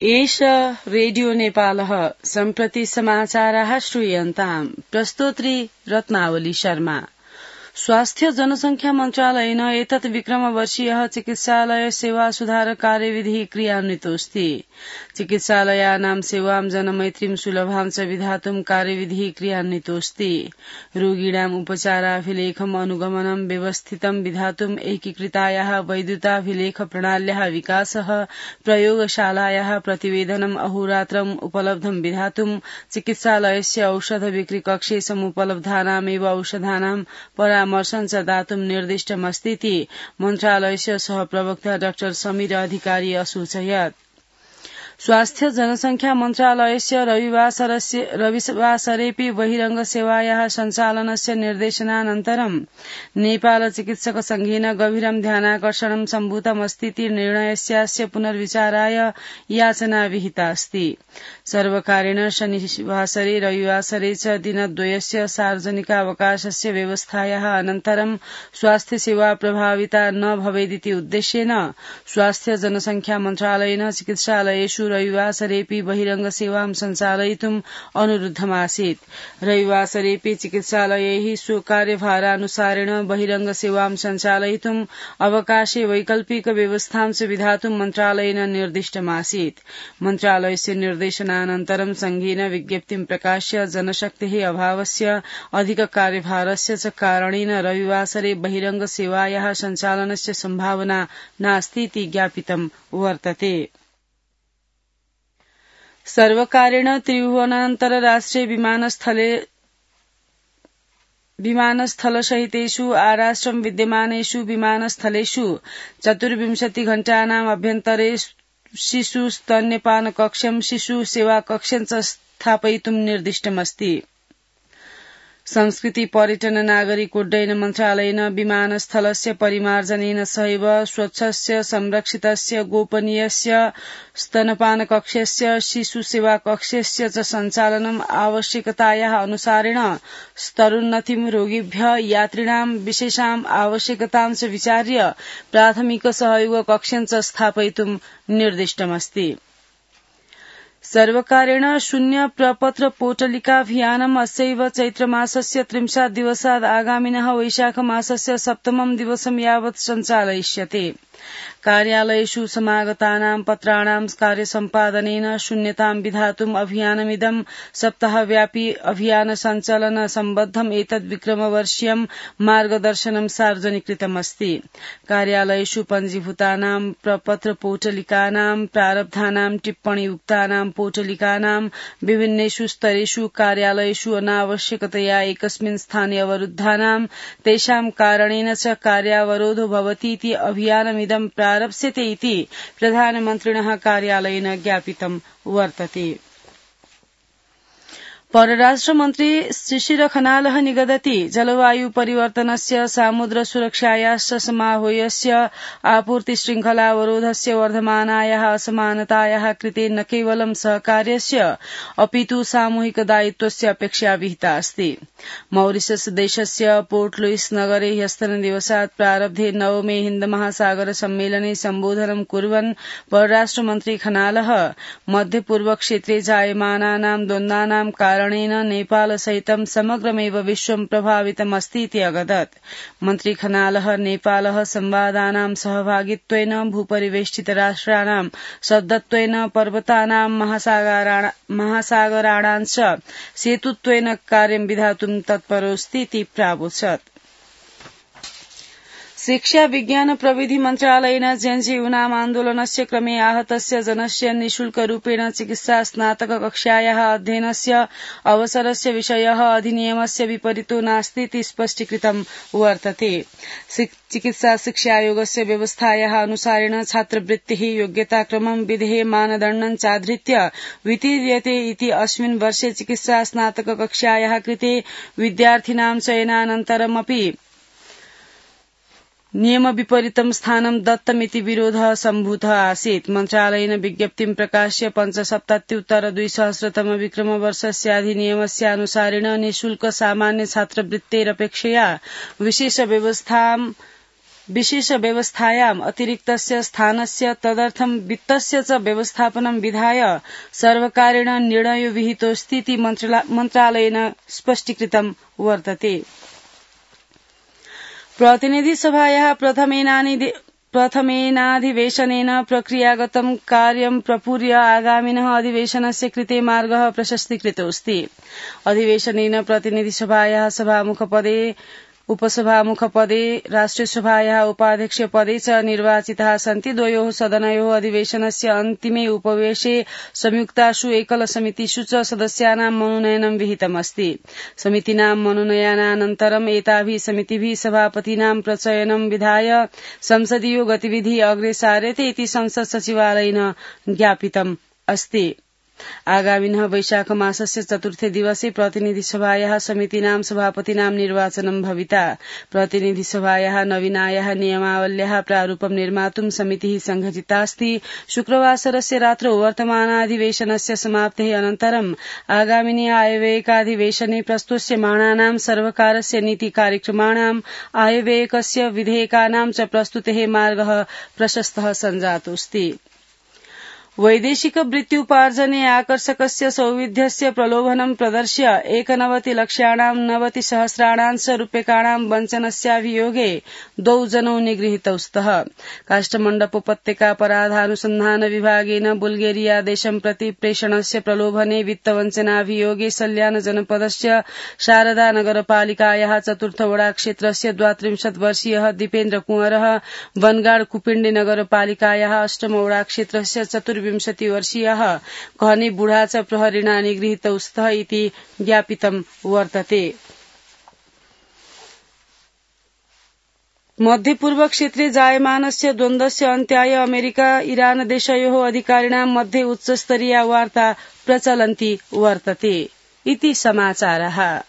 एष रेडियो नेपालः सम्प्रति समाचाराः श्रूयन्ताम्। प्रस्तोत्री रत्नावली शर्मा। स्वास्थ्य जनसंख्या मन्त्रालयेन एतत् विक्रमवर्षीयः चिकित्सालय सेवा सुधार कार्यविधिः क्रियान्वितोऽस्ति। चिकित्सालयानां सेवां जनमैत्रीं सुलभां च विधातुं कार्यविधिः क्रियान्वितोऽस्ति। रोगिणाम् उपचाराभिलेखम् अनुगमनं व्यवस्थितं विधातुं एकीकृतायाः वैद्युताभिलेख प्रणाल्याः विकासः, प्रयोगशालायाः प्रतिवेदनम् अहोरात्रम् उपलब्धं विधातुं चिकित्सालयस्य औषध बिक्री कक्षे समुपलब्धानामेव औषधानां परामर्शं च दातुं निर्दिष्टमस्तीति मन्त्रालयस्य सहप्रवक्ता डाक्टर समीर अधिकारी असूचयत्। स्वास्थ्य जनसंख्या मन्त्रालयस्य रविवासरेऽपि बहिरंग सेवायाः सञ्चालनस्य निर्देशनानन्तरं नेपाल चिकित्सक संघेन गभीरं ध्यानाकर्षणं सम्भूतमस्तीति निर्णयस्यास्य पुनर्विचाराय याचना विहिता अस्ति। सर्वकारेण शनिवासरे रविवासरे च दिनद्वयस्य सार्वजनिकावकाशस्य व्यवस्थायाः अनन्तरं स्वास्थ्य सेवा प्रभाविता न भवेदिति उद्देश्येन स्वास्थ्य जनसंख्या मन्त्रालयेन चिकित्सालयेषु रविवासरेऽपि बहिरंग सेवां सञ्चालयितुम् अनुरुद्धमासीत्। रविवासरेऽपि चिकित्सालयैः स्वकार्यभारानुसारेण बहिरंग सेवां सञ्चालयितुम् अवकाशे वैकल्पिक व्यवस्थां च विधातुं मन्त्रालयेन निर्दिष्टमासीत्। मन्त्रालयस्य निर्देशनानन्तरं संघेन विज्ञप्तिं प्रकाश्य जनशक्तेः अभावस्य अधिक कार्यभारस्य च कारणेन रविवासरे बहिरंग सेवायाः सञ्चालनस्य सम्भावना नास्तीति ज्ञापितं वर्तते। सर्वकारेण त्रिभुवनान्तरराष्ट्रिय विमानस्थलसहितेषु आराष्ट्रं विद्यमानेषु विमानस्थलेषु 24 घण्टानाम् अभ्यन्तरे शिशु स्तन्यपान कक्षं, शिशु सेवा कक्षं च स्थापयितुं निर्दिष्टमस्ति। संस्कृति पर्यटन नागरिक उड्डयन मन्त्रालयेन विमानस्थलस्य परिमार्जनेन सहैव स्वच्छस्य, संरक्षितस्य, गोपनीयस्य स्तनपान कक्षस्य, शिशु सेवा कक्षस्य च सञ्चालनम् आवश्यकतायाः अनुसारेण स्तरोन्नतिं रोगिभ्यः यात्रिणां विशेषाम् आवश्यकतां च विचार्य प्राथमिक सहयोग कक्षं च स्थापयितुं निर्दिष्टमस्ति। सर्वकारेण शून्य प्रपत्र पोटलिकाभियानम् अस्यैव चैत्रमासस्य 30 दिवसात् आगामिनः वैशाखमासस्य 7 दिवसं यावत् सञ्चालयिष्यते। कार्यालयेषु समागतानां पत्राणां कार्यसम्पादनेन शून्यतां विधातुम् अभियानमिदं सप्ताहव्यापी अभियान सञ्चालन सम्बद्धम् एतद् विक्रमवर्षीयं मार्गदर्शनं सार्वजनिकृतमस्ति। कार्यालयेषु पञ्जीभूतानां प्रपत्र पोटलिकानां प्रारब्धानां टिप्पणीयुक्तानां पोटलिकानां विभिन्नेषु स्तरेषु कार्यालयेषु अनावश्यकतया एकस्मिन् स्थाने अवरुद्धानां तेषां कारणेन च कार्यावरोधो भवतीति अभियानमिदं प्रारप्स्यते इति प्रधानमन्त्रिणः कार्यालयेन ज्ञापितं वर्तते। परराष्ट्रमन्त्री शिशिर खनालः निगदति जलवायु परिवर्तनस्य, सामुद्र सुरक्षायाश्च समाह्वयस्य, आपूर्ति शृङ्खलावरोधस्य वर्धमानायाः असमानतायाः कृते न केवलं सहकार्यस्य अपितु सामूहिक दायित्वस्य अपेक्षा विहिता अस्ति। मॉरिशस देशस्य पोर्ट लुइस नगरे ह्यस्तनदिवसात् प्रारब्धे 9मे हिन्द महासागर सम्मेलने सम्बोधनं कुर्वन् परराष्ट्रमन्त्री खनालः मध्यपूर्व क्षेत्रे जायमानानां द्वन्द्वानां कारणेन नेपाल सहितं समग्रमेव विश्वं प्रभावितमस्तीति अगदत्। मन्त्री खनालः नेपालः संवादानां सहभागित्वेन, भूपरिवेष्टितराष्ट्राणां शब्दत्वेन, पर्वतानां महासागराणां च सेतुत्वेन कार्यं विधातुं तत्परोऽस्तीति प्रावोचत्। शिक्षा विज्ञान प्रविधि मन्त्रालयेन जेएनयू आन्दोलनस्य क्रमे आहतस्य जनस्य निःशुल्करूपेण चिकित्सा स्नातक कक्षायाः अध्ययनस्य अवसरस्य विषयः अधिनियमस्य विपरीतो नास्तीति स्पष्टीकृतं वर्तते। चिकित्सा शिक्षायोगस्य व्यवस्थायाः अनुसारेण छात्रवृत्तिः योग्यताक्रमं विधेः मानदण्डं चाधृत्य वितीर्यते इति अस्मिन् वर्षे चिकित्सा स्नातक कक्षायाः कृते विद्यार्थिनां चयनानन्तरमपि नियम विपरीतं स्थानं दत्तमिति विरोधः सम्भूतः आसीत्। मन्त्रालयेन विज्ञप्तिं प्रकाश्य 5,77,200 विक्रमवर्षस्य अधिनियमस्यानुसारेण निःशुल्क सामान्य छात्रवृत्तेरपेक्षया विशेष व्यवस्थां विशेष व्यवस्थायाम् अतिरिक्तस्य स्थानस्य तदर्थं वित्तस्य च व्यवस्थापनं विधाय सर्वकारेण निर्णयो विहितोऽस्तीति मन्त्रालयेन स्पष्टीकृतं वर्तते। प्रतिनिधिसभायाः प्रथमेनाधिवेशनेन प्रक्रियागतं कार्यं प्रपूर्य आगामिनः अधिवेशनस्य कृते मार्गः प्रशस्तीकृतोऽस्ति। अधिवेशनेन प्रतिनिधिसभायाः सभामुखपदे उपसभामुखपदे राष्ट्रियसभायाः उपाध्यक्षपदे च निर्वाचिताः सन्ति। द्वयोः सदनयोः अधिवेशनस्य अन्तिमे उपवेशे संयुक्तासु एकलसमितिषु च सदस्यानां मनोनयनं विहितमस्ति। समितीनां मनोनयनानन्तरम् एताभिः समितिभिः सभापतीनां प्रचयनं विधाय संसदीयो गतिविधिः अग्रे सार्यते इति संसद सचिवालयेन ज्ञापितम् अस्ति। आगामिनः वैशाख मासस्य 4थे दिवसे प्रतिनिधिसभायाः समितीनां सभापतीनां निर्वाचनं भविता। प्रतिनिधिसभायाः नवीनायाः नियमावल्याः प्रारूपं निर्मातुं समितिः संघटितास्ति। शुक्रवासरस्य रात्रौ वर्तमानाधिवेशनस्य समाप्तेः अनन्तरम् आगामिनि आयव्ययिकाधिवेशने प्रस्तुष्यमाणानां सर्वकारस्य नीतिकार्यक्रमाणाम् आयव्ययिकस्य विधेयकानां च प्रस्तुतेः मार्गः प्रशस्तः सञ्जातोऽस्ति। वैदेशिक वृत्त्युपार्जने आकर्षकस्य सौविध्यस्य प्रलोभनं प्रदर्श्य 91,90,000 रूप्यकाणां वञ्चनस्याभियोगे 2 जनौ निगृहीतौ स्तः। काष्ठमण्डपोपत्यकापराधानुसन्धान विभागेन बुल्गेरिया देशं प्रति प्रेषणस्य प्रलोभने वित्तवञ्चनाभियोगे सल्यान जनपदस्य शारदा नगरपालिकायाः 4th वडाक्षेत्रस्य 32 वर्षीयः दीपेन्द्र कुंवरः, वनगाड़ कुपिण्डी नगरपालिकायाः 8 वडाक्षेत्रस्य 24 वर्षीयः कहनी बुढा च प्रहरिणा निगृहीतौ स्तः इति ज्ञापितं वर्तते। मध्यपूर्व क्षेत्रे जायमानस्य द्वन्द्वस्य अन्त्याय अमेरिका इरान देशयोः अधिकारिणां मध्ये उच्चस्तरीया वार्ता प्रचलन्ती वर्तते इति समाचारः।